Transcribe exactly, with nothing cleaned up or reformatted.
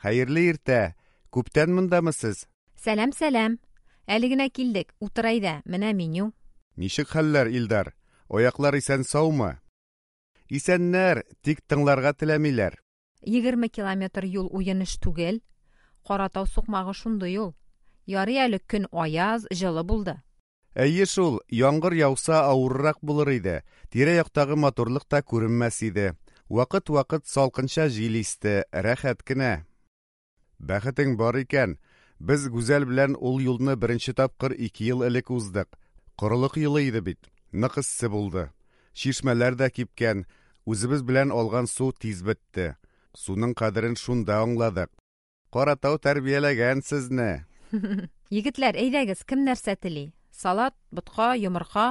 Хәерле иртә! Күптән мондамы сез? Сәлам, сәлам! Әле генә килдек. Утыр әйдә, менә меню. Ничек хәлләр, Илдар? Аяклар исән-саумы? Исәннәр, тик тыңларга теләмиләр. Егерме километр юл уен эш түгел. Каратау сукмагы шундый ул. Ярый әле көн аяз, җылы булды. Әйе шул, яңгыр яуса авыррак булыр иде. Тирә-яктагы матурлык та күренмәс иде. Вакыт-вакыт салкынча җил исте, рәхәт кенә. Бәхетең бар икән. Без Гүзәл белән ул юлны беренче тапкыр ике ел элек уздык. Корылык елы иде бит. Нык эссе булды. Чишмәләр дә кипкән, үзебез белән алган су тиз бетте. Суның кадерен шунда аңладык. Каратау тәрбияләгән сезне. Егетләр, әйдәгез, кем нәрсә тели? Салат, ботка, йомырка.